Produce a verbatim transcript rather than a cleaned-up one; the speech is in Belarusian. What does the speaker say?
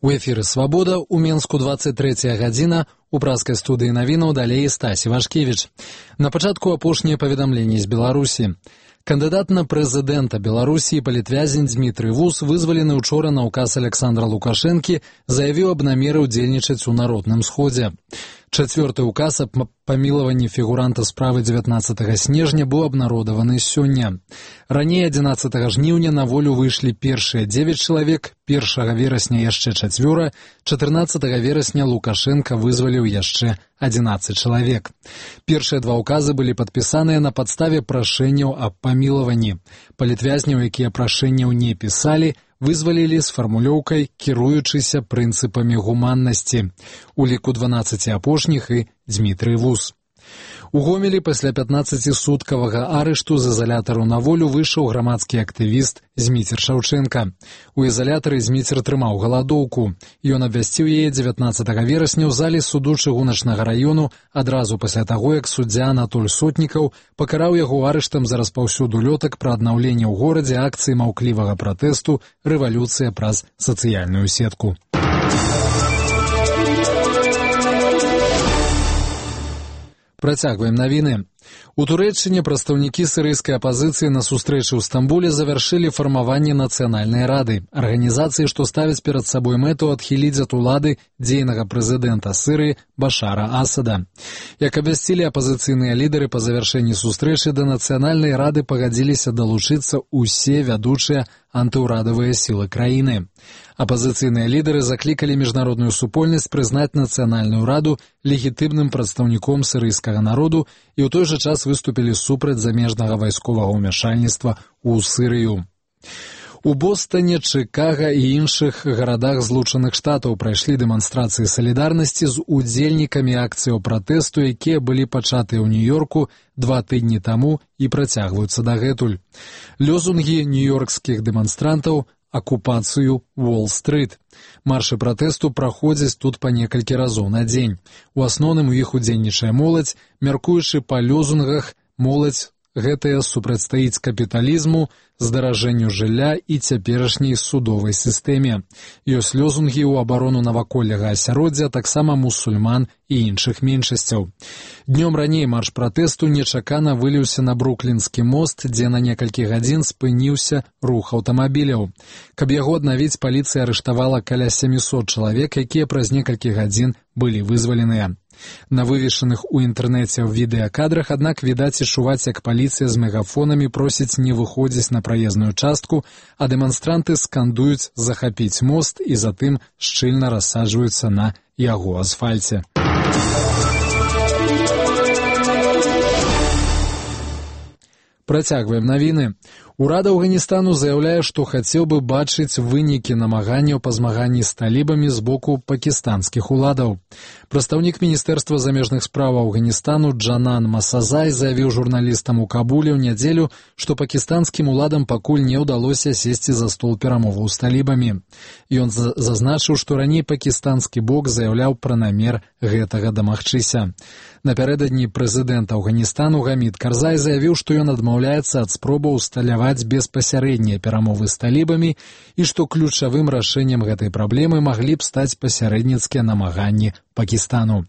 У эфіры «Свабода» у Менску двадцать третья гадзіна, у празкай студыі навінаў далей Стасі Вашкевіч. На пачатку апошнія паведамленні з Беларусі. Кандыдат на прэзідэнта Беларусі палітвязень Дмітрый Вус, вызвалены учора на указ Александра Лукашэнкі, заявіў аб намеры ўдзельнічаць у народным сходзе. Чацвёрты указ аб памілаванні фігуранта справы дзевятнаццатага снежня быў абнародаваны сёння. Раней адзінаццатага жніўня на волю выйшлі першыя дзевяць чалавек, першага верасня яшчэ чацвёра, чатырнаццатага верасня Лукашенко вызваліў яшчэ адзінаццаць чалавек. Першыя два указы былі падпісаныя на падставе прашэнняў аб памілаванні. Палітвязняў, якія прашэнняў не пісалі, вызвалілі з фармулёўкай, кіруючыся прынцыпамі гуманнасці. У ліку дванаццаці апошніх і Дмітрый Вус. У Гомелі пасля пятнаццацісуткавага арышту з ізалятару на волю выйшаў грамадскі актывіст Зміцер Шаўчэнка. У ізалятары Зміцер трымаў галадоўку. Ён абвясціў яе дзевятнаццатага верасня ў залі суду чыгуначнага раёну адразу пасля таго, як суддзя Анатоль Сотнікаў пакараў яго арыштам за распаўсюд улётак пра аднаўленне ў горадзе акцыі маўклівага пратэсту «Рэвалюцыя праз сацыяльную сетку». Працягваем навіны. У Турэччыне прадстаўнікі сірыйскай апазіцыі на сустрэчы ў Стамбуле завяршылі фармаванне нацыянальнай рады, арганізацыі, што ставяць перад сабой мэту адхіліць ад улады дзейнага прэзідэнта Сірыі Башара Асада. Як абвясцілі апазіцыйныя лідары, па завяршэнні сустрэчы да нацыянальнай рады пагадзіліся далучыцца ўсе вядучыя антыўрадавыя сілы краіны. Апазіцыйныя лідары заклікалі міжнародную супольнасць прызнаць нацыянальную раду легітымным прадстаўніком сірыйскага народу і ў той жа час выступілі супраць замежнага вайсковага ўмяшальніцтва ў Сірыю. У Бостане, Чыкага і іншых гарадах Злучаных Штатаў прайшлі дэманстрацыі салідарнасці з удзельнікамі акцыяў пратэсту, якія былі пачатыя ў Нью-Йорку два тыдні таму і працягваюцца дагэтуль. Лёзунгі нью-йоркскіх дэманстрантаў акупацыю Уолл-стрыт. Маршы пратэсту праходзяць тут па некалькі разоў на дзень. У асноўным у іх удзельнічае моладзь, мяркуючы па лёзунгах, моладзь гэтая супрацьстаіць капіталізму, здаражэнню жылля і цяперашняй судовай сістэме. Ёсць лёзунгі ў абарону наваколляга асяроддзя, таксама мусульман і іншых меншасцяў. Днём раней марш пратэсту нечакана выліўся на Бруклінскі мост, дзе на некалькі гадзін спыніўся рух аўтамабіляў. Каб яго аднавіць, паліцыя арыштавала каля сямісот чалавек, якія праз некалькі гадзін былі вызваленыя. На вывешаных у інтэрнэце ў відэакадрах, аднак відаць і чуваць, як паліцыя з мегафонамі просіць не выходзіць на праезную частку, а дэманстранты скандуюць захапіць мост і затым шчыльна рассаджваюцца на яго асфальце. Працягваем навіны. Урад Афганістану заяўляе, што хацеў бы бачыць вынікі намаганняў па змаганні з талібамі з боку пакістанскіх уладаў. Прадстаўнік Міністэрства замежных спраў Афганістану Джанан Масазай заявіў журналістам у Кабуле ў нядзелю, што пакістанскім уладам пакуль не ўдалося сесці за стол перамоваў з талібамі. Ён зазначыў, што раней пакістанскі бок заяўляў пра намер гэтага дамагчыся. Напярэдадні прэзідэнт Афганістану Гамід Карзай заявіў, што ён адмаўляецца ад спробаў усталяваць беспасярэднія перамовы з талібамі і што ключавым рашэннем гэтай праблемы маглі б стаць пасярэдніцкія намаганні Пакістану.